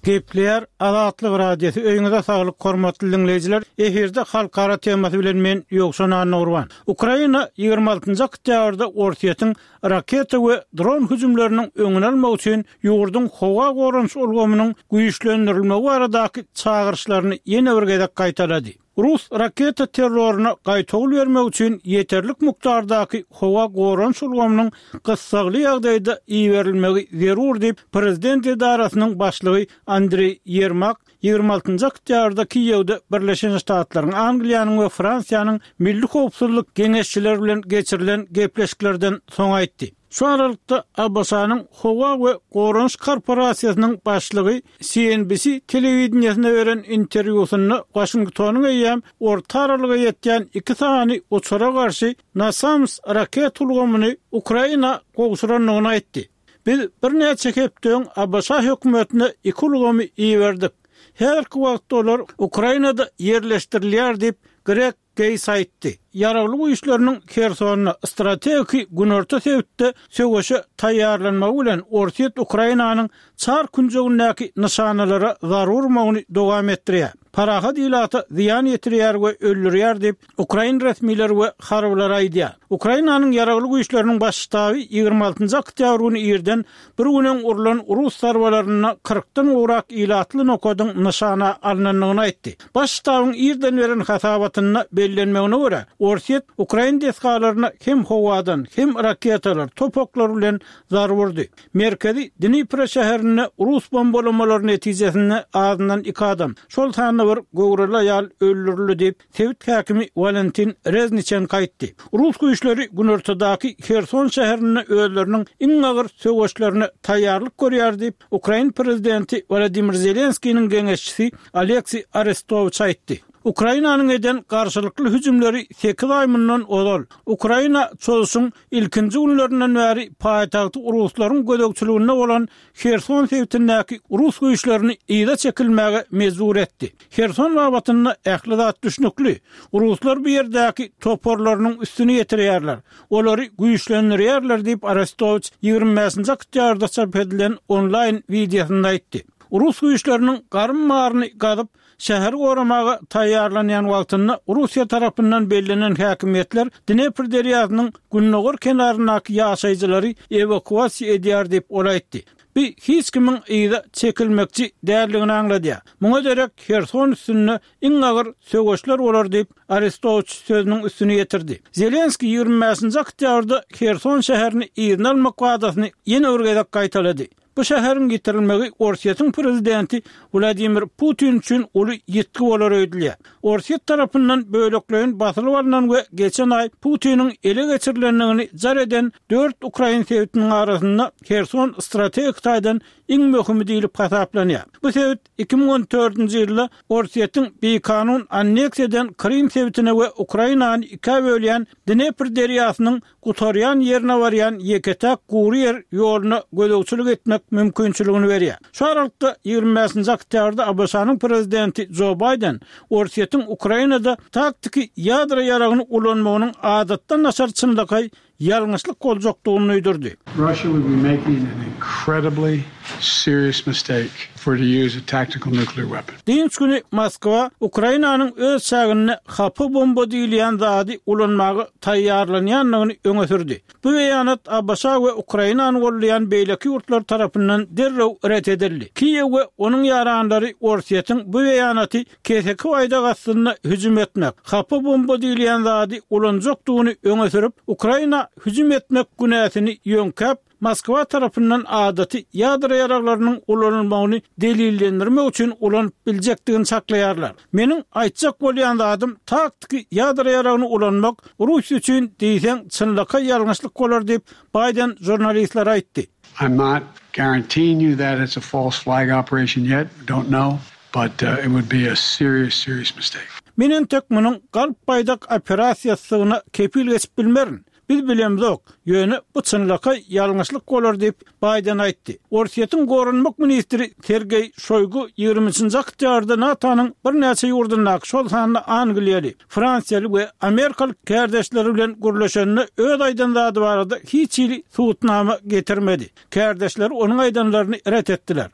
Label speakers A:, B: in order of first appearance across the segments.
A: Gepleýär Azatlyk Radiosy Öýüňize saglyk hormatly diňleýjiler efirde halkara temasy bilen men Ýowşan Annagurban. Ukraina 26-njy oktýabrda Orsýetiň raketa we dron hüjümleriniň öňüni almak üçin ýurduň howa goranyş ulgamynyň güýçlendirilmegi baradaky çagyryşlaryny ýene bir gezek gaýtalady. Rus raketa terroryna gaýtawul bermek üçin ýeterlik mukdardaky howa goranyş ulgamynyň gyssagly ýagdaýda iberilmegi zerur diýip, prezident edarasynyň başlygy Andreý Ýermak 26-njy oktýabrda Kiýewde Birleşen Ştatlaryň, Angliýanyň we Fransiýanyň milli howpsuzlyk geňeşçileri bilen geçirilen gepleşiklerden soň aýtdy. Şu aralykda, ABŞ-nyň Howa we goranyş korporasiýasynyň başlygy CNBC telewideniýesine beren interwýusynda Waşingtonyň eýýäm orta aralyga ýetýän iki sany uçara garşy NASAMS raketa ulgamyny Ukraina gowşurandygyny aýtdy. Biz birnäçe hepde öň ABŞ hökümetine iki ulgamy iberdik. Häzirki wagtda olar Ukrainada ýerleşdirilýär diýip, Greg Geýts aýtdy. Ýaragly güýçleriniň Hersonda, strategiki günorta sebitde söweşe taýýarlanmagy bilen Orsýet Ukrainanyň çar künjegindäki nyşanalara zarba urmagyny dowam etdirýär. Parahat ilata zyýan ýetirýär we öldürýär diýip, ukrain resmileri we harbylary aýdýar. Ukrainanyň Ýaragly güýçleriniň Baş ştaby 26-njy oktýabr güni irden bir gün öň urlan rus zarbalarynda kyrkdan gowrak ilatly nokadyň nyşana alnandygyny aýtdy. Baş ştabyň irden beren hasabatynda bellenmegine görä, Orsýet ukrain desgalaryna hem howadan, hem raketalar, top oklary bilen zarba urdy. Merkezi Dnipro şäherinde rus bombalamalary netijesinde azyndan iki adam, şol sanda bir göwreli aýal öldürildi diýip, sebit häkimi Walentin Rezniçenko aýtdy. Rus güýçleri günortadaky Herson şäherinde özleriniň iň agyr söweşlerine taýýarlyk görýär diýip, Ukrain prezidenti Wolodymyr Zelenskiniň geňeşçisi Oleksiý Arestowiç aýtdy. Ukrainanyň eden garşylykly hüjümleri sekiz aý mundan ozal, Ukraina çozuşyň ilkinji günlerinden bäri paýtagty ruslaryň gözegçiliginde bolan Herson sebitindäki rus güýçlerini yza çekilmäge mejbur etdi. Herson babatynda ähli zat düşnükli. Ruslar bu ýerdäki toparlarynyň üstüni ýetirýärler. Olary güýçlendirýärler diýip, Arestowiç 25-nji oktýabrda çap edilen onlaýn wideosynda aýtdy. Rus güýçleriniň garym baryny gazyp, şäheri goramaga taýýarlanýan wagtynda Russiýa tarapyndan bellenen häkimiýetler Dnepr derýasynyň gündogar kenaryndaky ýaşaýjylary ewakuasiýa edýär diýip, ol aýtdy. Bu hiç kimiň yza çekilmekçi däldigini aňladýar. Muňa derek Herson üstünde iň agyr söweşler bolar diýip, Arestowiç sözüniň üstüni ýetirdi. Zelenskiý 25-nji oktýabrda Herson şäherini yzyna almak wadasyny ýene bir gezek gaýtalady. Bu şäheriň ýitirilmegi Orsýetiň prezidenti Wladimir Putin üçin uly ýitgi bolar öýdülýär. Orsýet tarapyndan bölekleýin basylyp alnan we geçen aý Putiniň ele geçirilendigini jar eden dört ukrain sebitiniň arasynda Herson strategik taýdan iň möhümi diýlip hasaplanýar. Bu sebit 2014-nji ýylda Orsýetiň bikanun anneksiýa eden Krym sebitine we Ukrainany ikä bölýän Dnepr derýasynyň gutarýan ýerine barýan ýeke-täk gury ýer ýoluna gözegçilik etmek mümkinçiligini berýär. Şu aralykda, 25-nji oktýabrda ABŞ-nyň prezidenti Jo Baýden Orsýetiň Ukrainada taktiki ýadro ýaragyny ulanmagynyň adatdan daşary çynlakaý ýalňyşlyk boljakdygyny duýdurdy.
B: Russia would be making an incredibly serious mistake for to use a tactical nuclear weapon.
A: Dynç güni Moskwa Ukrainanyň öz çäginde hapa bomba diýilýän zady ulanmaga taýýarlanýandygyny öňe sürdi. Bu beýanat ABŞ we Ukrainany goldaýan beýleki ýurtlar tarapyndan derrew ret edildi. Kiýew we onuň ýaranlary Orsýetiň bu beýanaty keseki baýdak astynda hüjüm etmek, hapa bomba diýilýän zady ulanjakdygyny öňe sürüp, Ukraina hüjüm etmek günäsini ýöňkäp, Moskwa tarapyndan adaty ýadro ýaraglarynyň ulanylmagyny delillendirmek üçin ulanyp biljekdigini çaklaýarlar. Meniň aýtjak bolýan zadym, taktiki ýadro ýaragyny ulanmak Russiýa üçin diýseň çynlakaý ýalňyşlyk bolar diýip, Baýden žurnalistlere aýtdy.
B: I'm not guaranteeing you that it's a false flag operation yet, don't know, but it would be a serious, serious mistake.
A: Men entek munuň galp baýdak operasiýasydygyna kepil geçip bilmerin. Biz bilemzok, ýöne bu çynlakaý ýalňyşlyk bolar diýip, Baýden aýtdy. Orsýetiň goranmak ministri Sergeý Şoýgu 23-nji oktýabrda NATO-nyň birnäçe ýurdundaky, şol sanda angliýaly, fransiýaly we amerikaly kärdeşleri bilen gürleşende öz aýdan zady barada hiç hili subutnama getirmedi. Kärdeşleri onuň aýdanlaryny ret etdiler.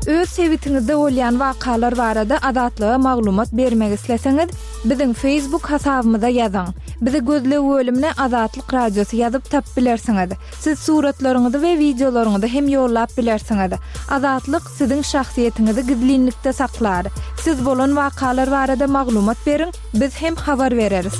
C: Öz sebitiňizde bolýan wakalar barada Azatlyga maglumat bermek isleseňiz, biziň Facebook hasabymyza ýazyň. Bizi gözleg bölümine Azatlyk Radiosy ýazyp tapyp bilersiňiz. Siz suratlaryňyzy we wideolaryňyzy hem ýollap bilersiňiz. Azatlyk siziň şahsyýetiňizi gizlinlikde saklar. Siz bolan wakalar barada maglumat beriň, biz hem habar bereris.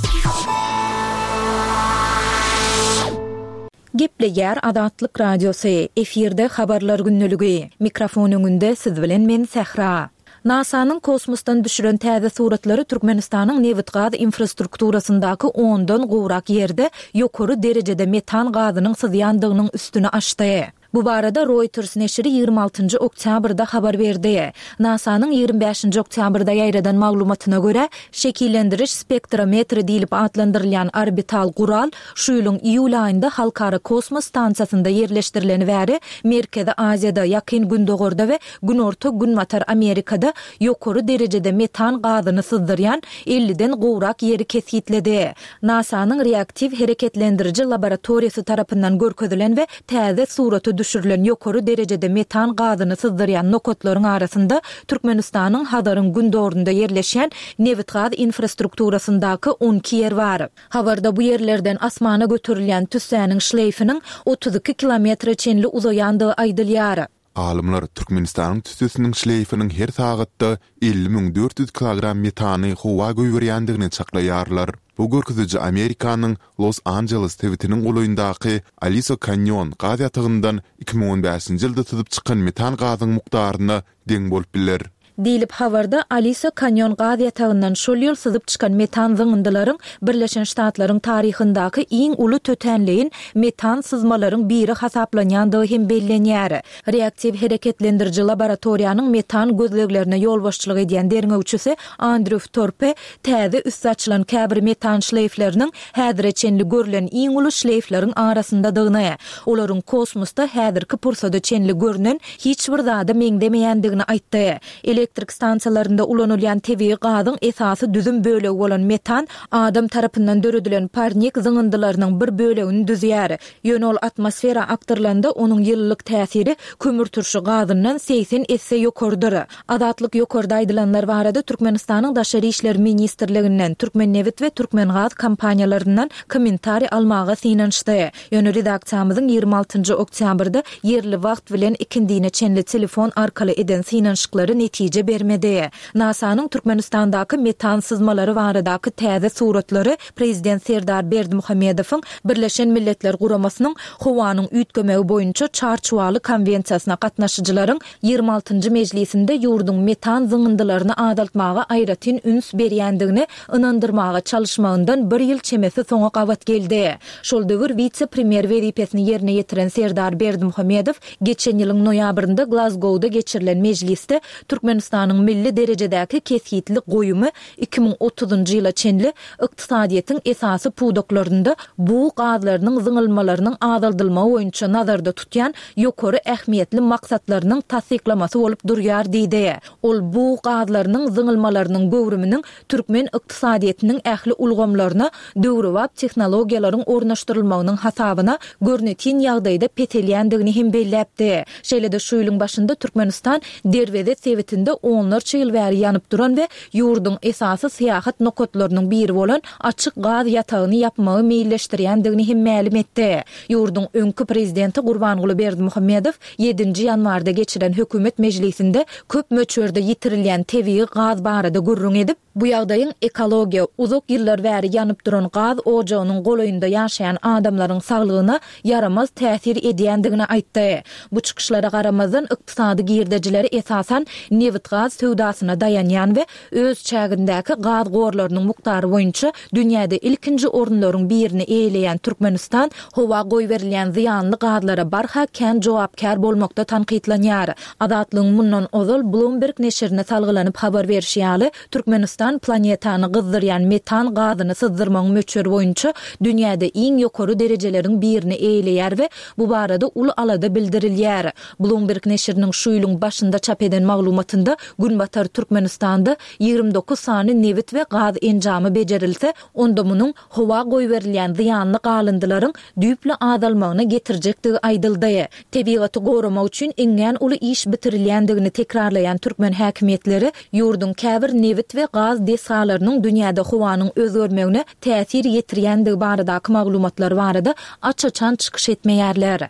D: Gepleýär Azatlyk Radiosy, efirde Habarlar gündeligi. Mikrofon öňünde siz bilen men Sähra. NASA-nyň kosmosdan düşüren täze suratlary Türkmenistanyň nebit-gaz infrastrukturasyndaky ondan gowrak ýerde ýokary derejede metan gazynyň syzýandygynyň üstüni açdy. Bu barada Reuters neşiri 26-njy oktýabrda habar berdi. NASA-nyň 25-nji oktýabrda ýaýradan maglumatyna görä, şekillendiriş spektrometri diýlip atlandyrylýan orbital gural Şu ýylyň iýul aýynda Halkara kosmos stansiýasynda ýerleşdirileni bäri Merkezi Aziýada, Ýakyn Gündogarda we Günorta-Günbatar Amerikada ýokary derejede metan gazyny syzdyrýan elliden gowrak ýeri kesgitledi. NASA-nyň reaktiw hereketlendiriji laboratoriýasy tarapyndan görkezilen we täze surata düşürilen ýokary derejede metan gazyny syzdyrýan nokatlaryň arasynda Türkmenistanyň Hazaryň gündogarynda ýerleşýän nebitgaz infrastrukturasyndaky 12 ýer bar. Habarda bu ýerlerden asmana göterilýän tüssäniň şleýfiniň 32 kilometre çenli uzaýandygy aýdylýar.
E: Alymlar Türkmenistanyň tüssesiniň şleýfiniň her sagatda 50 400 kilogram metany howa goýberýändigini çaklaýarlar. Bu görkeziji Amerikanyň Los-Anjeles sebitiniň golaýyndaky Aliso Kanýon gaz ýatagyndan 2015-nji ýylda syzyp çykan metan gazyň mukdaryna deň bolup biler.
D: Diýlip, habarda Aliso Kanýon gaz ýatagyndan şol ýyl syzyp çykan metan zyňyndylaryň Birleşen Ştatlaryň taryhyndaky iň uly tötänleýin metan syzmalaryň biri hasaplanýandygy hem bellenýär. Reaktiw hereketlendiriji laboratoriýanyň metan gözleglerine ýolbaşçylyk edýän derňewçisi Andrew Torpe täze üsti açylan käbir metan şleýfleriniň häzire çenli görlen iň uly şleýfleriň arasyndadygyny, olaryň kosmosda häzirki pursada çenli görnen hiç bir zada meňzemeýändigini aýtdy. Elektrik stansiýalarynda ulanylýan tebigy gazyň esasy düzüm bölegi bolan metan adam tarapyndan döredilen parnik zyňyndylarynyň bir bölegini düzýär. Ýöne ol atmosfera akdyrylanda onuň ýylylyk täsiri kömürturşy gazyndan 80 esse ýokarydyr. Azatlyk ýokarda aýdylanlar barada Türkmenistanyň Daşary işler ministrliginden, Türkmennebit we Türkmengaz kompaniýalaryndan kommentariý almaga synanyşdy. Ýöne redaksiýamyzyň 26 oktýabrda ýerli wagt bilen ikindine çenli telefon arkaly eden synanyşyklary netije bermedi. NASA-nyň Türkmenistandaky metan syzmalary baradaky täze suratlary prezident Serdar Berdimuhamedowyň Birleşen Milletler Guramasynyň Howanyň üýtgemegi boýunça Çarçuwaly konwensiýasyna gatnaşyjylaryň 26-njy mejlisinde ýurduň metan zyňyndylaryny azaltmaga aýratyn üns berýändigini ynandyrmaga çalyşmagyndan bir ýyl çemesi soňa gabat geldi. Şol döwür wise-premýer wezipesini ýerine ýetiren Serdar Berdimuhamedow geçen ýylyň noýabrynda Glazgowda geçirilen mejlisde Türkmenistanyň milli derejedäki kesgitli goýumy 2030-njy ýyla çenli ykdysadyýetiň esasy pudaklarynda bug gazlarynyň zyňylmalarynyň azaldylmagy boýunça nazarda tutýan ýokary ähmiýetli maksatlarynyň tassyklamasy bolup durýar diýdi. Ol bug gazlarynyň zyňylmalarynyň göwrüminiň türkmen ykdysadyýetiniň ähli ulgamlaryna döwrebap tehnologiýalaryň ornaşdyrylmagynyň hasabyna görnetin ýagdaýda peselýändigini hem belläpdi. Şeýle-de şu ýylyň başynda Türkmenistan Derweze sebitinde onlarça ýyl bäri ýanyp duran we ýurduň esasy syýahat nokatlarynyň biri bolan açyk gaz ýatagyny ýapmagy meýilleşdirýändigini hem mälim etdi. Ýurduň öňki prezidenti Gurbanguly Berdimuhamedow ýedinji ýanwarda geçiren hökümet mejlisinde köp möçberde ýitirilýän tebigy gaz barada gürrüň edip, bu ýagdaýyň ekologiýa, uzak ýyllar bäri ýanyp duran gaz ojagynyň golaýynda ýaşaýan adamlaryň saglygyna ýaramaz täsir edýändigini aýtdy. Bu çykyşlara garamazdan, ykdysady girdejileri esasan nebit-gaz söwdasyna daýanýan we öz çägindäki gaz gorlarynyň mukdary boýunça dünýäde ilkinji orunlaryň birini eýeleýän Türkmenistan howa goýberilýän zyýanly gazlara barha kän jogapkär bolmakda tankytlanýar. Azatlygyň mundan ozal Bloomberg neşirine salgylanyp habar berşi ýaly, Türkmenistan. Türkmenistan planetany gyzdyrýan metan gazyny syzdyrmagyň möçberi boýunça dünýäde iň ýokary derejeleriň birini eýeleýär we bu barada uly alada bildirilýär. Bloomberg neşiriniň şu ýylyň başynda çap eden maglumatynda Günbatar Türkmenistanda 29 sany nebit we gaz enjamy bejerilse, onda munuň howa goýberilýän zyýanly galyndylaryň düýpli azalmagyna getirjekdigi aýdyldy. Tebigaty goramak üçin iňňän uly iş bitirilýändigini tekrarlaýan türkmen häkimiýetleri ýurduň käbir nebit we gaz desgalarynyň dünýäde howanyň özgermegine täsir ýetirýändigi baradaky maglumatlar barada aç-açan çykyş etmeýärler.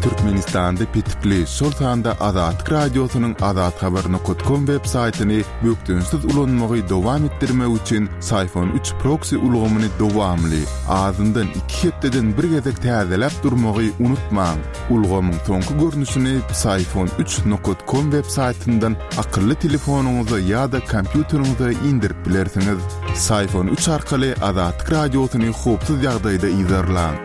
E: Türkmenistanda petikli, şol sanda Azatlyk Radiosynyň azathabar nokat kom web saýtyny bökdençsiz ulanmagy dowam etdirmek üçin Syfon üç proksi ulgamyny dowamly, azyndan iki hepdeden bir gezek täzeläp durmagy unutmaň. Ulgamyň soňky görnüşini Psiphon üç nokat kom web saýtyndan akylly telefonyňyza ýa-da kompýuteriňize indirip bilersiňiz. Psiphon üç arkaly Azatlyk Radiosyny howpsuz ýagdaýda yzarlaň.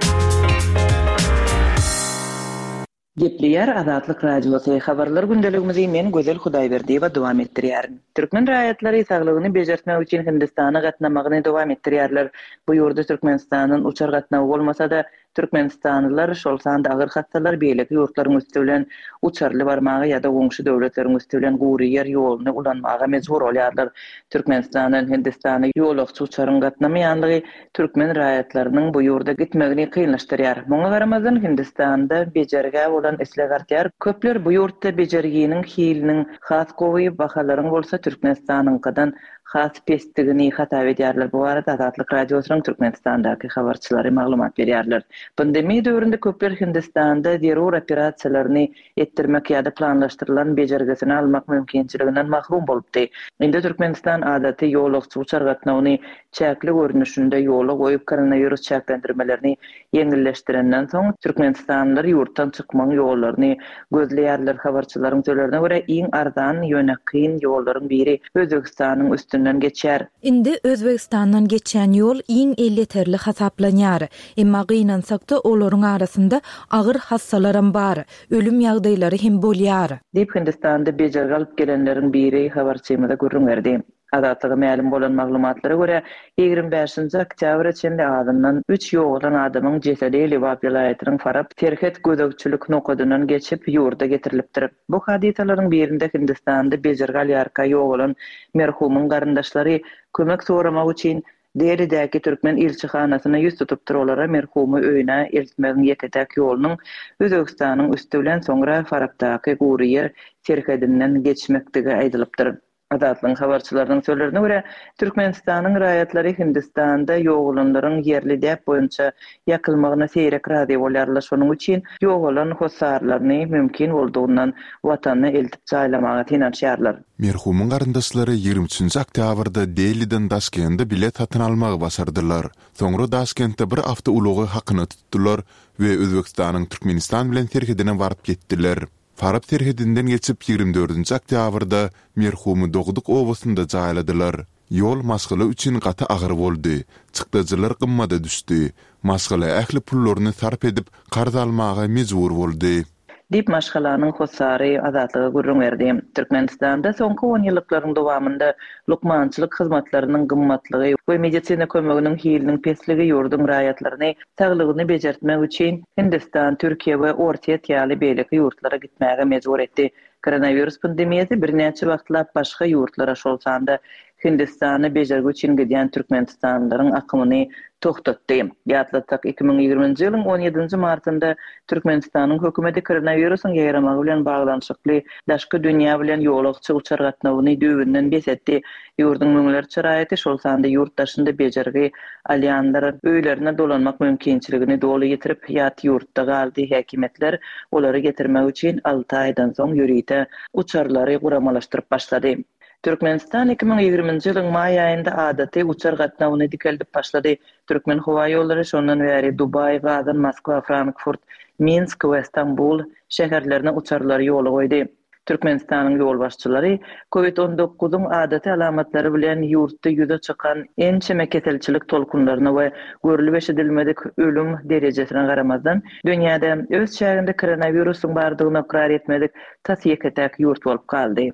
F: Gepleýär Azatlyk Radiosy, Habarlar gündeligimizi men Gözel Hudaýberdiýewa dowam etdirýärin. Türkmen raýatlary saglygyny bejertmek üçin Hindistana gatnamagyny dowam etdirýärler. Bu ýurda Türkmenistandan uçar gatnawy bolmasa-da, Türkmenistanlylar, şol sanda agyr hassalar beýleki ýurtlaryň üsti bilen uçarly barmaga ýa-da goňşy döwletleriň üsti bilen gury ýer ýoluny ulanmaga mejbur bolýarlar. Türkmenistandan Hindistana ýolagçy uçaryň gatnamaýanlygy türkmen raýatlarynyň bu ýurda gitmegini kynlaşdyrýar. Muňa garamazdan, Hindistanda bejergä bolan isleg artýar. Köpler bu ýurtda bejerginiň hiliniň has gowy, bahalaryň bolsa Türkmenistanyňkydan has pesdigini hasap edýärler. Bu barada Azatlyk Radiosynyň Türkmenistandaky habarçylary maglumat berýärler. Pandemiýa döwründe köpler Hindistanda zerur operasiýalaryny etdirmek ýa-da planlaşdyrylan bejergisini almak mümkinçiliginden mahrum bolupdy. Indi Türkmenistan adaty ýolagçy uçar gatnawyny çäkli görnüşinde ýola goýup, koronawirus çäklendirmelerini ýeňilleşdirenden soň, türkmenistanlylar ýurtdan çykmagyň ýollaryny gözleýärler. Habarçylaryň sözlerine görä, iň arzan, ýöne kyn ýollaryň biri Özbegistanyň üstünden geçýär.
D: Indi Özbegistandan geçýän ýol iň elýeterli hasaplanýar. Emma gynansak-da, olaryň arasynda agyr hassalaram bar, ölüm ýagdaýlary hem bolýar.
F: Diýip, Hindistanda bejergi alyp gelenleriň biri habarçymyza gürrüň berdi. Azatlyga mälim bolan maglumatlara görä, 25-nji oktýabra çenli azyndan üç ýogalan adamyň jesedi Lebap welaýatynyň Farap serhet gözegçilik nokadyndan geçip, ýurda getirilipdir. Bu hadysalaryň birinde Hindistanda bejergi alýarka ýogalan merhumyň garyndaşlary kömek soramak üçin Delidäki türkmen ilçihanasyna ýüz tutupdyr, olara merhumy öýüne eltmegiň ýeke-täk ýolunyň Özbegistanyň üsti bilen soňra Farapdaky gury ýer serhedinden geçmekdigi aýdylypdyr. Azatlygyň habarçylarynyň sözlerine görä, Türkmenistanyň raýatlary Hindistanda ýogalanlaryň ýerli däp boýunça ýakylmagyna seýrek razy bolýarlar, şonuň üçin ýogalan hossarlaryny mümkin boldugyndan watanyna eltip jaýlamaga synanyşýarlar.
E: Merhumyň garyndaşlary 23-nji oktýabrda Deliden Daşkende bilet satyn almagy başardylar. Soňra Daşkentde bir awtoulagy hakyna tutdular we Özbegistanyň Türkmenistan bilen serhedine baryp ýetdiler. Farap serhedinden geçip, 24-nji oktýabrda merhumy dogduk obasynda jaýladylar. Ýol maşgala üçin gaty agyr boldy. Çykdajylar gymmada düşdi. Maşgala ähli pullaryny sarp edip, karz almaga mejbur boldy.
F: Diýip, maşgalanyň hossary Azatlyga gürrüň berdi. Türkmenistanda soňky onýyllyklaryň dowamynda lukmançylyk hyzmatlarynyň gymmatlygy we medisina kömeginiň hiliniň pesligi ýurduň raýatlaryny saglygyny bejertmek üçin Hindistan, Türkiýe we Orsýet ýaly beýleki ýurtlara gitmäge mejbur etdi. Koronawirus pandemiýasy birnäçe wagtlap başga ýurtlara, şol sanda Hindistana bejergi üçin gidýän türkmenistanlylaryň akymyny togtatdy. Ýatlatsak, 2020-nji ýylyň on ýedinji martynda Türkmenistanyň hökümeti koronawirusyň ýaýramagy bilen baglanyşykly daşky dünýä bilen ýolagçy uçar gatnawyny düýbünden bes etdi. Ýurduň müňlerçe raýaty, şol sanda ýurt daşynda bejergi alýanlar öýlerine dolanmak mümkinçiligini doly ýitirip, ýat ýurtda galdy. Häkimiýetler olary getirmek üçin alty aýdan soň ýörite uçarlary guramalaşdyryp başlady. Türkmenistan 2020-nji ýylyň maý aýynda adaty uçar gatnawyny dikeldip başlady. Türkmenhowaýollary şondan bäri Dubaý, Gazan, Moskwa, Frankfurt, Minsk we Stambul şäherlerine uçarlary ýola goýdy. Türkmenistanyň ýolbaşçylary Covid on dokuzyň adaty alamatlary bilen ýurtda ýüze çykan ençeme keselçilik tolkunlaryna we görlüp-eşidilmedik ölüm derejesine garamazdan, dünýäde öz çäginde koronawirusyň bardygyny ykrar etmedik tas ýeke-täk ýurt bolup galdy.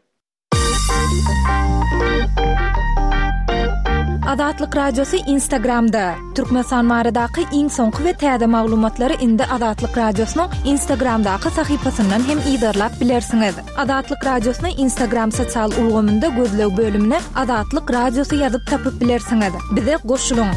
D: Azatlyk Radiosy Instagramda, Türkmenistan baradaky iň soňky we täze maglumatlary indi Azatlyk Radiosynyň Instagramdaky sahypasyndan hem yzarlap bilersiňiz. Azatlyk Radiosyny Instagram sosial ulgamynda gözleg bölümine Azatlyk Radiosy ýazyp tapyp bilersiňiz. Bize goşulyň!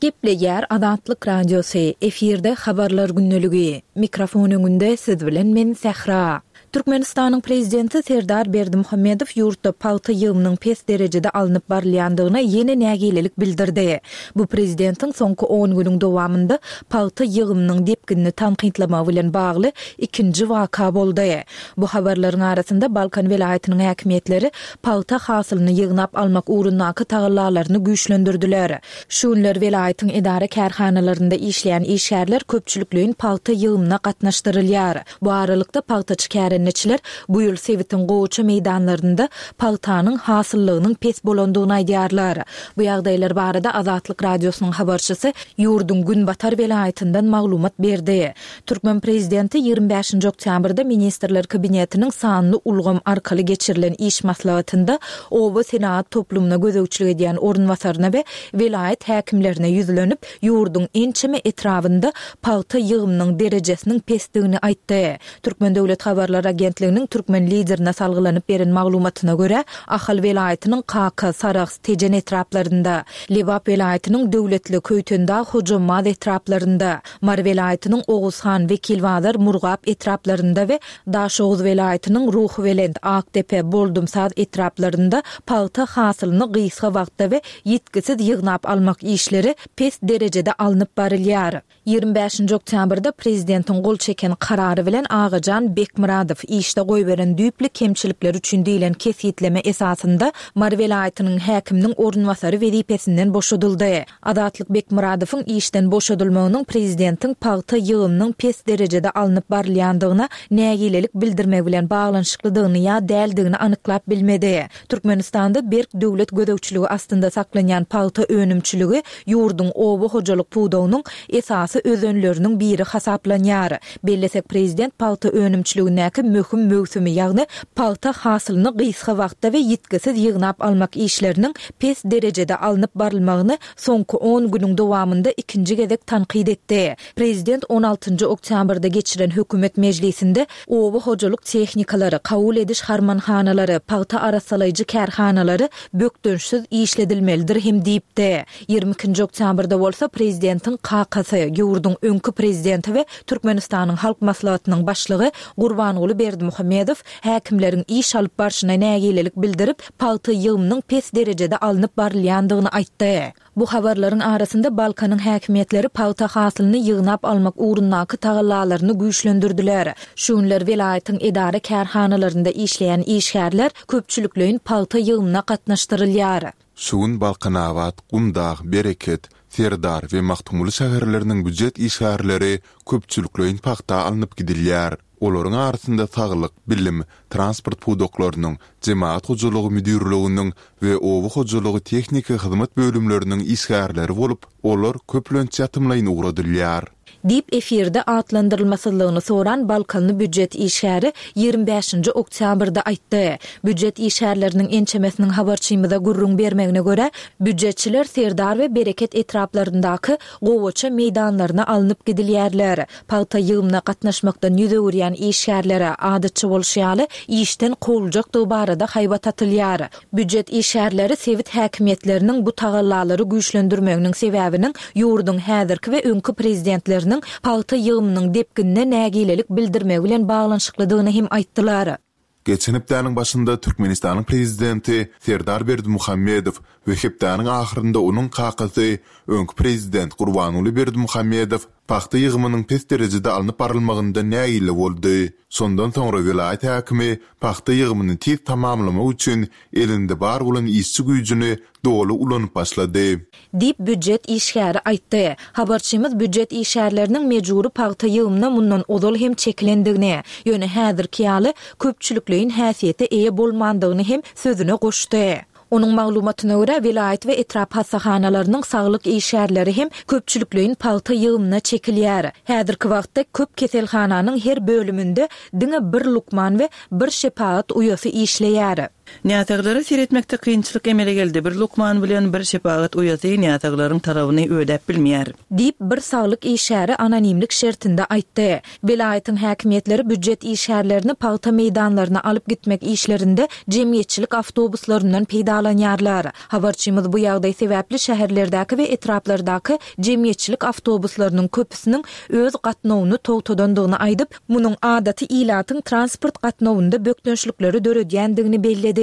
D: Gepleýär Azatlyk Radiosy, efirde Habarlar gündeligi. Mikrofon öňünde siz bilen men Sähra. Türkmenistanyň Prezidenti Serdar Berdimuhamedow ýurtda pagta ýygymynyň pes derejede alnyp barylýandygyna ýene nägilelik bildirdi. Bu prezidentiň soňky on günüň dowamynda pagta ýygymynyň depginini tankytlamagy bilen bagly ikinji waka boldy. Bu habarlaryň arasynda Balkan welaýatynyň häkimiýetleri pagta hasylyny ýygnap almak ugrundaky tagallalaryny güýçlendirdiler. Şu günler welaýatyň edara-kärhanalarynda işleýän işgärler köpçülikleýin pagta ýygymyna gatnaşdyrylýar. Bu aralykda, pagtaçy kärendeçiler bu ýyl sebitiň gowaça meýdanlarynda pagtanyň hasyllygynyň pes bolandygyny aýdýarlar. Bu ýagdaýlar barada Azatlyk Radiosynyň habarçysy ýurduň günbatar welaýatyndan maglumat berdi. Türkmen prezidenti 25-nji oktýabrda Ministrler Kabinetiniň sanly ulgam arkaly geçirilen iş maslahatynda oba senagat toplumyna gözegçilik edýän orunbasaryna we welaýat häkimlerine ýüzlenip, ýurduň ençeme etrabynda pagta ýygymynyň derejesiniň pesdigini aýtdy. Türkmen döwlet habarlar agentliginiň türkmen Liderine salgylanyp beren maglumatyna görä, Ahal welaýatynyň Kaka, Sarahs, Tejen etraplarynda, Lebap welaýatynyň Döwletli, Köýtendag, Hojambaz etraplarynda, Mary welaýatynyň Oguzhan, Wekilbazar, Murgap etraplarynda we Daşoguz welaýatynyň Ruhubelent, Akdepe, Boldumsaz etraplarynda pagta hasylyny gysga wagtda we ýitgisiz ýygnap almak işleri pes derejede alnyp barylýar. 25-nji oktýabrda prezidentiň gol çeken karary bilen Agajan Bekmyradow işde goýberen düýpli kemçilikleri üçin diýlen kesgitleme esasynda Mary welaýatynyň häkiminiň orunbasary wezipesinden boşadyldy. Azatlyk Bekmyradowyň işden boşadylmagynyň prezidentiň pagta ýygymynyň pes derejede alnyp barylýandygyna nägilelik bildirmegi bilen baglanyşyklydygyny ýa däldigini anyklap bilmedi. Türkmenistanda berk döwlet gözegçiligi astynda saklanýan pagta önümçiligi ýurduň oba hojalyk pudagynyň esasy özenleriniň biri hasaplanýar. Bellesek, prezident pagta önümçiligindäki möhüm möwsümi, ýagny pagta hasylyny gysga wagtda we ýitgisiz ýygnap almak işleriniň pes derejede alnyp barylmagyny soňky on günüň dowamynda ikinji gezek tankyt etdi. Prezident on altynjy oktýabrda geçiren hökümet mejlisinde oba hojalyk tehnikalary, kabul ediş harmanhanalary, pagta arassalaýjy kärhanalary bökdençsiz işledilmelidir hem diýipdi. 22-nji oktýabrda bolsa prezidentiň kakasy, ýurduň öňki prezidenti we Türkmenistanyň Halk Maslahatynyň başlygy Gurbanguly Berdimuhamedow häkimleriň iş alyp barşyna nägilelik bildirip, pagta ýygymynyň pes derejede alnyp barylýandygyny aýtdy. Bu habarlaryň arasynda Balkanyň häkimiýetleri pagta hasylyny ýygnap almak ugrundaky tagallalaryny güýçlendirdiler. Şu günler welaýatyň edara-kärhanalarynda işleýän işgärler köpçülikleýin pagta ýygymyna gatnaşdyrylýar.
E: Şu gün Balkanabat, Gumdag, Bereket, Serdar we Magtymguly şäherleriniň býujet işgärleri köpçülikleýin pagta alnyp gidilýär. Olaryň arasynda saglyk, bilim, transport pudaklarynyň, jemagat hojalygy müdirliginiň we oba hojalygy tehniki hyzmat bölümleriniň işgärleri bolup, olar köplenç ýatymlaýyn ugradylýar.
D: Diýip, efirde atlandyrylmasyzlygyny soran balkanly býujet işgäri 25-nji oktýabrda aýtdy. Býujet işgärleriniň ençemesiniň habarçymyza gürrüň bermegine görä, býujetçiler Serdar we Bereket etraplaryndaky gowaça meýdanlaryna alnyp gidilýärler. Pagta ýygymyna gatnaşmakdan ýüz öwürýän işgärlere, adatça bolşy ýaly, işden kowuljakdygy barada haýbat atylýar. Býujet işgärleri sebit häkimiýetleriniň bu tagallalary güýçlendirmeginiň sebäbiniň ýurduň häzirki we öňki prezidentleriniň pagta ýygymynyň depginine nägilelik bildirmegi bilen baglanyşyklydygyny hem aýtdylar.
E: Geçen hepdäniň başynda Türkmenistanyň prezidenti Serdar Berdimuhamedow we hepdäniň ahyrynda onuň kakasy, öňki prezident Gurbanguly Berdimuhamedow pagta ýygymynyň pes derejede alnyp barylmagyndan nägile boldy. Şondan soňra welaýat häkimi pagta ýygymyny tiz tamamlamak üçin elinde bar bolan işçi güýjüni doly ulanyp başlady.
D: Diýip, býujet işgäri aýtdy. Habarçymyz býujet işgärleriniň mejbury pagta ýygymyna mundan ozal hem çekilendigini, ýöne häzirki ýaly köpçülikleýin häsiýete eýe bolmandygyny hem sözüne goşdy. Onuň maglumatyna görä, welaýat we etrap hassahanalarynyň saglyk işgärleri hem köpçülikleýin pagta ýygymyna çekilýär. Häzirki wagtda köp keselhananyň her bölüminde diňe bir lukman we bir şepagat uýasy işleýär.
F: Näsaglara seretmekde kynçylyk emele geldi, bir lukman bilen bir şepagat uýasy näsaglaryň talabyny ödäp bilmeýär.
D: Diýip, bir saglyk işgäri anonimlik şertinde aýtdy. Welaýatyň häkimiýetleri býujet işgärlerini pagta meýdanlaryna alyp gitmek işlerinde jemgyýetçilik awtobuslaryndan peýdalanýarlar. Habarçymyz bu ýagdaý sebäpli şäherlerdäki we etraplardaky jemgyýetçilik awtobuslarynyň köpüsiniň öz gatnawyny togtadandygyny aýdyp, munuň adaty ilatyň transport gatnawynda bökdençlikleri döredýändigini belledi.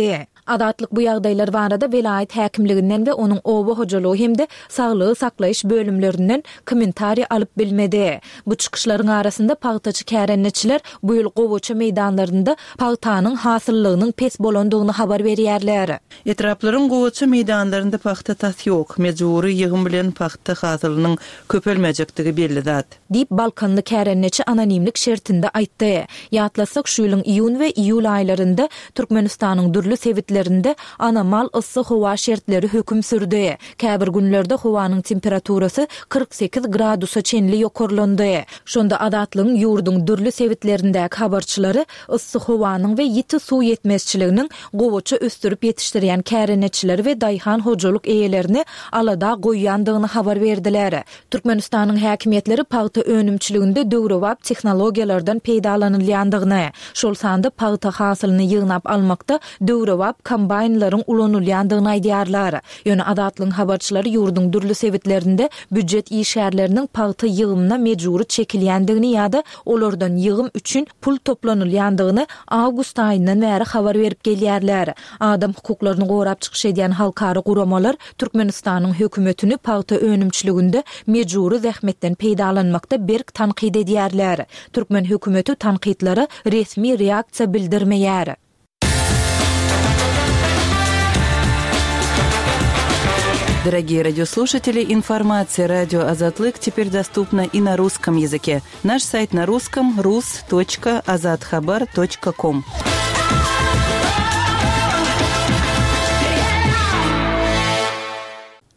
D: Azatlyk bu ýagdaýlar barada welaýat häkimliginden we onuň oba hojalygy hem-de saglygy saklaýyş bölümlerinden kommentariý alyp bilmedi. Bu çykyşlaryň arasynda pagtaçy kärendeçiler bu ýyl gowaça meýdanlarynda pagtanyň hasyllygynyň pes bolandygyny habar berýärler.
F: Etraplaryň gowaça meýdanlarynda pagta tas ýok. Mejbury ýygym bilen pagta hasylynyň köpelmejekdigi belli zat.
D: Diýip, balkanly kärendeçi anonimlik şertinde aýtdy. Ýatlasak, şu ýylyň iýun we iýul aýlarynda Türkmenistanyň dürli sebitlerinde anomal yssy howa şertleri höküm sürdi. Käbir günlerde howanyň temperaturasy 48 gradusa çenli ýokarlandy. Şonda Azatlygyň ýurduň dürli sebitlerindäki habarçylary yssy howanyň we ýiti suw ýetmezçiliginiň gowaça ösdürip ýetişdirýän kärendeçileri we daýhan hojalyk eýelerini alada goýýandygyny habar berdiler. Türkmenistanyň häkimiýetleri pagta önümçiliginde döwrebap tehnologiýalardan peýdalanylýandygyny, şol sanda pagta hasylyny ýygnap almakda döwrebap kombaýnlaryň ulanylýandygyny aýdýarlar. Ýöne Azatlygyň habarçylary ýurduň dürli sebitlerinde býujet işgärleriniň pagta ýygymyna mejbury çekilýändigini ýa-da olardan ýygym üçin pul toplanylýandygyny awgust aýyndan bäri habar berip gelýärler. Adam hukuklaryny gorap çykyş edýän halkara guramalar Türkmenistanyň hökümetini pagta önümçiliginde mejbury zähmetden peýdalanmakda berk tankyt edýärler. Türkmen hökümeti tankytlara resmi reaksiýa bildirmeýär.
F: Дорогие радиослушатели, информация радио Азатлык теперь доступна и на русском языке. Наш сайт на русском rus.azathabar.com.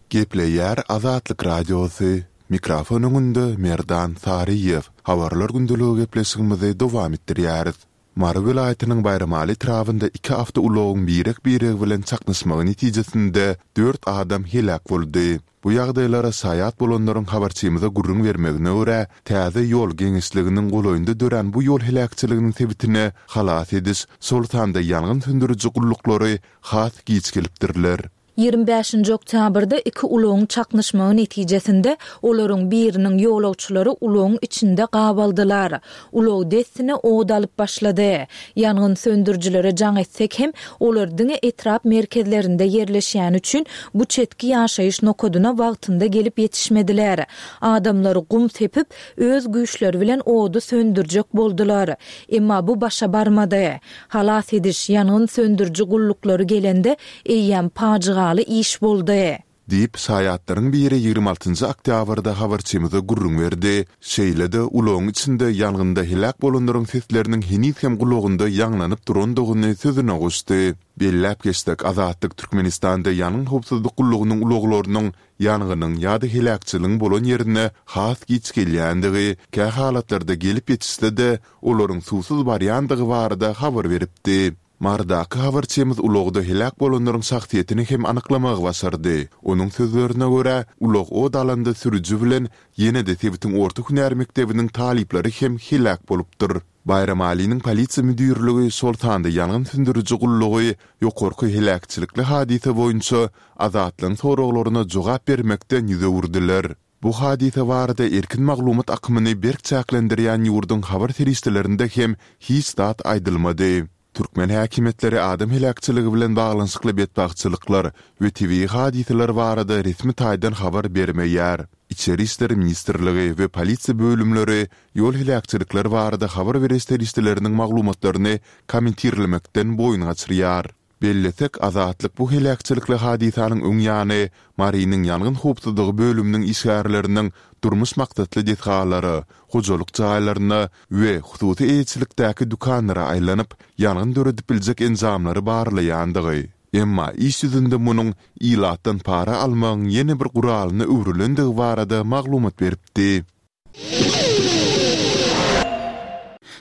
E: Gepleýär Azatlyk Radiosy, Mikrofon öňünde Merdan Saryýew. Habarlar gündeligi gepleşigimizi dowam etdirýäris. Mary welaýatynyň Baýramaly etrabynda iki awtoulagyň birek-biregi bilen çaknyşmagy netijesinde dört adam heläk boldy. Bu ýagdaýlara şaýat bolanlaryň habarçymyza gürrüň bermegine görä, täze ýol geňeşliginiň golaýynda dörän bu ýol heläkçiliginiň sebitine halas ediş, şol sanda ýangyn söndüriji gulluklary has giç gelipdirler.
D: 25-nji oktýabrda iki ulagyň çaknyşmagy netijesinde olaryň biriniň ýolagçylary ulagyň içinde gabaldylar. Ulag dessine ot alyp başlady. Ýangyn söndürijilere jaň etsek hem, olar diňe etrap merkezlerinde ýerleşýäni üçin bu çetki ýaşaýyş nokadyna wagtynda gelip ýetişmediler. Adamlar gum sepip, öz güýçleri bilen ody söndürjek boldular. Emma bu başa barmady. Halas ediş, ýangyn söndüriji gulluklary gelende, eýýäm pajygaly iş boldy.
E: Diýip, şaýatlaryň biri 26 njy oktýabrda habarçymyza gürrüň berdi. Şeýle-de, ulagyň içinde ýangynda heläk bolanlaryň sesleriniň heniz hem gulagynda ýaňlanyp durandygyny sözüne goşdy. Belläp geçsek, Azatlyk Türkmenistanda ýangyn howpsuzlyk gullugynyň ulaglarynyň ýangynyň ýa-da heläkçiligiň bolan ýerine has giç gelýändigi, kähalatlarda gelip ýetişse-de, olaryň suwsuz barýandygy barada habar beripdi. Marydaky habarçymyz ulagda heläk bolanlaryň şahsyýetini hem anyklamagy başardy. Onuň sözlerine görä, ulag ot alanda sürüji bilen ýene-de sebitiň orta hünär mekdebiniň talyplary hem heläk bolupdyr. Baýramalynyň polisiýa müdirligi, şol sanda ýangyn söndüriji gullugy ýokarky heläkçilikli hadysa boýunça Azatlygyň soraglaryna jogap bermekden ýüz öwürdiler. Bu hadysa barada erkin maglumat akymyny berk çäklendirýän ýurduň habar serişdelerinde hem hiç zat aýdylmady. Türkmen häkimiýetleri adam heläkçiligi bilen baglanyşykly betbagtçylyklar we tebigy hadysalar barada resmi taýdan habar bermeýär. Içeri işler ministrligi we polisiýa bölümleri ýol heläkçilikleri barada habar beriş serişdeleriniň maglumatlaryny kommentirlemekden boýun gaçyrýar. Bellesek, Azatlyk bu heläkçilikli hadysanyň öň ýany Marynyň ýangyn howpsuzlygy bölüminiň işgärleriniň durmuş maksatly desgalara, hojalyk jaýlaryna we hususy eýeçilikdäki dükanlara aýlanyp, ýangyn döredip biljek enjamlary barlaýandygy. Emma iş ýüzünde munuň ilatdan para almagyň ýene bir guralyna öwrülendigi barada maglumat beripdi.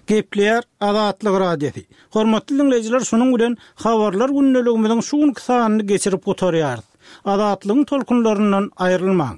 A: Gepleýär Azatlyk Radiosy. Hormatly diňleýjiler şunuň bilen Habarlar gündeligimiziň şu günki sanyny geçirip gutarýarys. Azatlygyň tolkunlaryndan aýrylmaň.